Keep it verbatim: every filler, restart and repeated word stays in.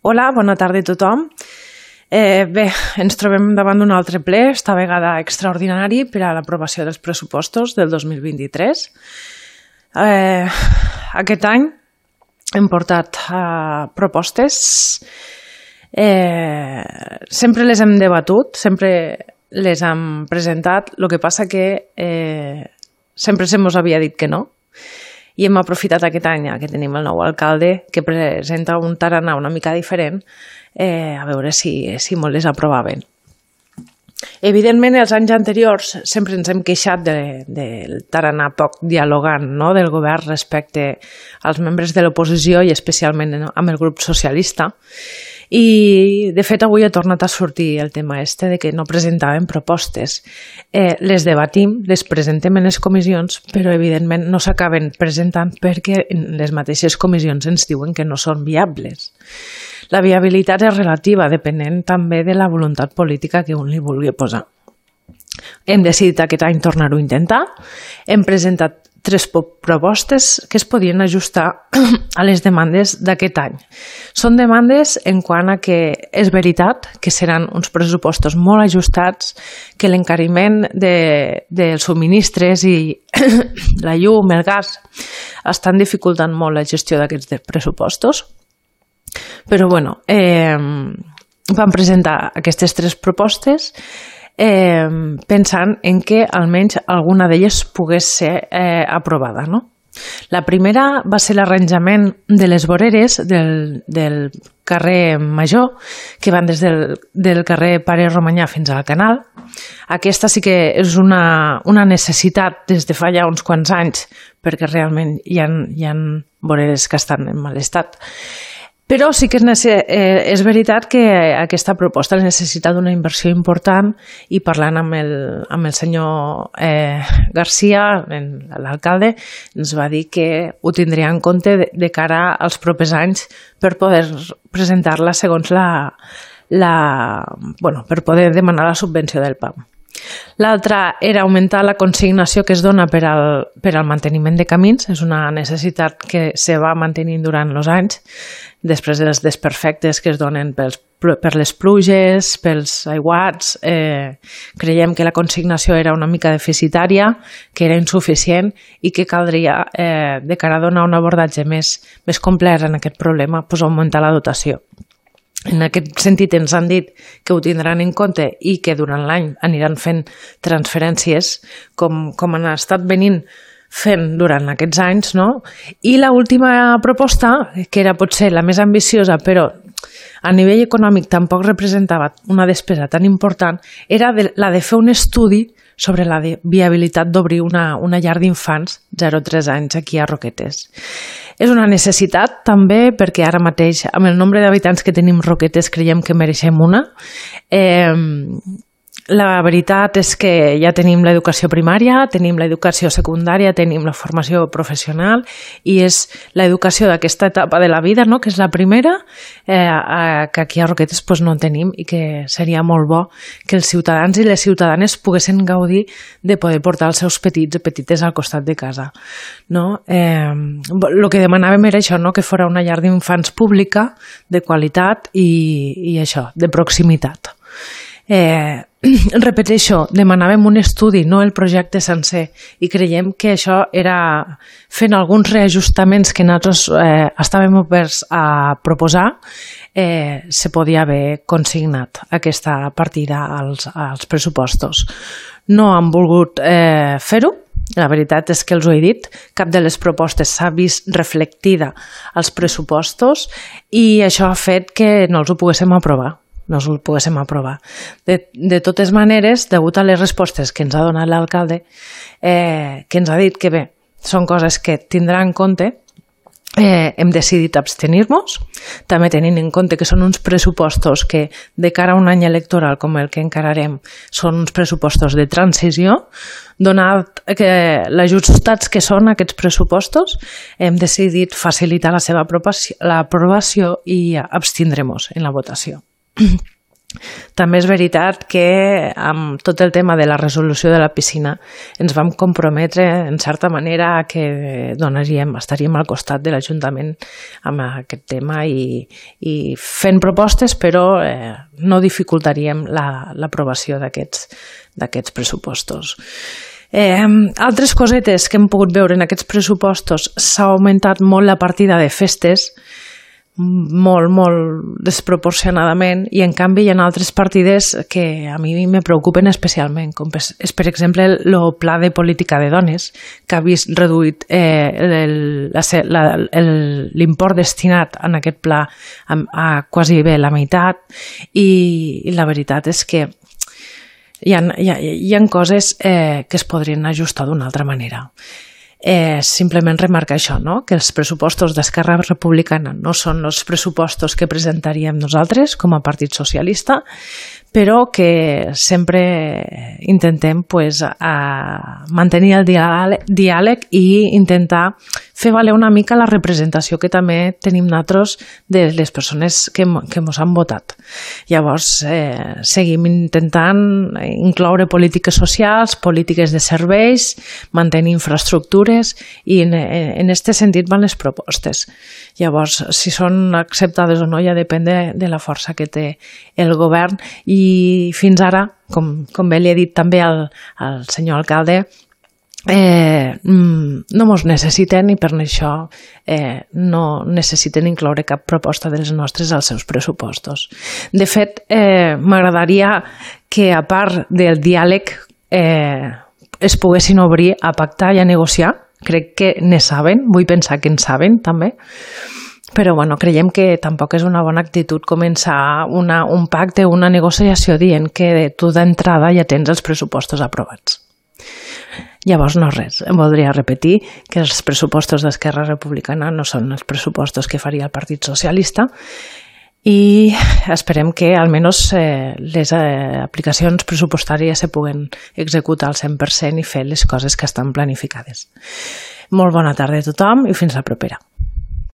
Hola, bona tarda a tothom. Eh, bé, ens trobem davant d'un altre ple, esta vegada extraordinari per a l'aprovació dels pressupostos del dos mil vint-i-tres. Eh, aquest any hem portat eh, propostes, eh, sempre les hem debatut, sempre les hem presentat, el que passa que eh, sempre se mos havia dit que no. I hem aprofitat aquest any que tenim el nou alcalde que presenta un tarannà una mica diferent eh, a veure si, si molt les aprovaven. Evidentment, els anys anteriors sempre ens hem queixat de, del tarannà poc dialogant, no?, del govern respecte als membres de l'oposició i especialment amb el grup socialista. I, de fet, avui ha tornat a sortir el tema este de que no presentaven propostes. Eh, les debatim, les presentem en les comissions, però, evidentment, no s'acaben presentant perquè les mateixes comissions ens diuen que no són viables. La viabilitat és relativa, depenent també de la voluntat política que un li vulgui posar. Hem decidit aquest any tornar-ho a intentar. Hem presentat tres propostes que es podien ajustar a les demandes d'aquest any. Són demandes en quant a que és veritat que seran uns pressupostos molt ajustats, que l'encariment de, dels subministres i la llum, el gas, estan dificultant molt la gestió d'aquests pressupostos. Però, bueno, eh, vam presentar aquestes tres propostes Eh, pensant en que almenys alguna d'elles pogués ser eh, aprovada, no? La primera va ser l'arranjament de les voreres del, del carrer Major, que van des del, del carrer Pare Romanyà fins al canal. Aquesta sí que és una, una necessitat des de fa ja uns quants anys, perquè realment hi ha, hi ha voreres que estan en mal estat. Però sí que és, eh, és veritat que aquesta proposta necessita d'una inversió important i parlant amb el, amb el senyor eh, Garcia, l'alcalde, ens va dir que ho tindria en compte de, de cara als propers anys per poder presentar-la segons la, la, bueno, per poder demanar la subvenció del P A M. L'altra era augmentar la consignació que es dona per al, per al manteniment de camins. És una necessitat que se va mantenint durant els anys, després dels desperfectes que es donen pels, per les pluges, pels aiguats. Eh, creiem que la consignació era una mica deficitària, que era insuficient i que caldria, eh, de cara a donar un abordatge més, més complet en aquest problema, pues, augmentar la dotació. En aquest sentit ens han dit que ho tindran en compte i que durant l'any aniran fent transferències com, com han estat venint fent durant aquests anys, no? I l'última proposta, que era potser la més ambiciosa, però a nivell econòmic tampoc representava una despesa tan important, era de, la de fer un estudi sobre la viabilitat d'obrir una, una llar d'infants zero a tres anys aquí a Roquetes. És una necessitat també perquè ara mateix, amb el nombre d'habitants que tenim Roquetes, creiem que mereixem una. Eh, la veritat és que ja tenim l'educació primària, tenim l'educació secundària, tenim la formació professional i és l'educació d'aquesta etapa de la vida, no?, que és la primera, eh, que aquí a Roquetes pues, no en tenim i que seria molt bo que els ciutadans i les ciutadanes poguessin gaudir de poder portar els seus petits i petites al costat de casa. No? Eh, el que demanàvem era això, no?, que fos una llar d'infants pública, de qualitat i, i això, de proximitat. Eh, repeteixo, demanàvem un estudi, no el projecte sencer, i creiem que això era fent alguns reajustaments que nosaltres eh, estàvem oberts a proposar, eh, se podia haver consignat aquesta partida als, als pressupostos. No han volgut eh, fer-ho. La veritat és que els ho he dit, cap de les propostes s'ha vist reflectida als pressupostos i això ha fet que no els ho poguéssim aprovar. no ho poguéssim aprovar. De, de totes maneres, degut a les respostes que ens ha donat l'alcalde, eh, que ens ha dit que bé, són coses que tindrà en compte, eh, hem decidit abstenir-nos, també tenint en compte que són uns pressupostos que de cara a un any electoral com el que encararem són uns pressupostos de transició. Donat que l'ajustats que són aquests pressupostos, hem decidit facilitar la seva aprovació, l'aprovació i abstindrem-nos en la votació. També és veritat que amb tot el tema de la resolució de la piscina ens vam comprometre en certa manera a que donaríem, estaríem al costat de l'Ajuntament amb aquest tema i, i fent propostes, però eh, no dificultaríem l'aprovació la, d'aquests d'aquests pressupostos. Eh, altres cosetes que hem pogut veure en aquests pressupostos: s'ha augmentat molt la partida de festes, molt, molt desproporcionadament, i en canvi hi ha altres partides que a mi me preocupen especialment, com és per exemple el Pla de Política de Dones, que ha vist reduït eh, l'import destinat en aquest pla a, a quasi bé la meitat, i, i la veritat és que hi ha, hi ha, hi ha coses eh, que es podrien ajustar d'una altra manera. Eh, simplement remarcar això, no? Que els pressupostos d'Esquerra Republicana no són els pressupostos que presentaríem nosaltres com a Partit Socialista, però que sempre intentem pues, a mantenir el diàleg, diàleg i intentar fer valer una mica la representació que també tenim nosaltres de les persones que, que ens han votat. Llavors, eh, seguim intentant incloure polítiques socials, polítiques de serveis, mantenir infraestructures, i en, en este sentit van les propostes. Llavors, si són acceptades o no ja depèn de, de la força que té el govern, i fins ara, com, com bé li he dit també al, al senyor alcalde, Eh, no mos necessiten, i per això eh, no necessiten incloure cap proposta de les nostres als seus pressupostos. De fet, eh, m'agradaria que, a part del diàleg, eh, es poguessin obrir a pactar i a negociar. Crec que ne saben, vull pensar que en saben també, però bueno, creiem que tampoc és una bona actitud començar una, un pacte o una negociació dient que tu d'entrada ja tens els pressupostos aprovats. Llavors, no res, em voldria repetir que els pressupostos d'Esquerra Republicana no són els pressupostos que faria el Partit Socialista, i esperem que almenys eh, les eh, aplicacions pressupostàries se puguen executar al cent per cent i fer les coses que estan planificades. Molt bona tarda a tothom i fins la propera.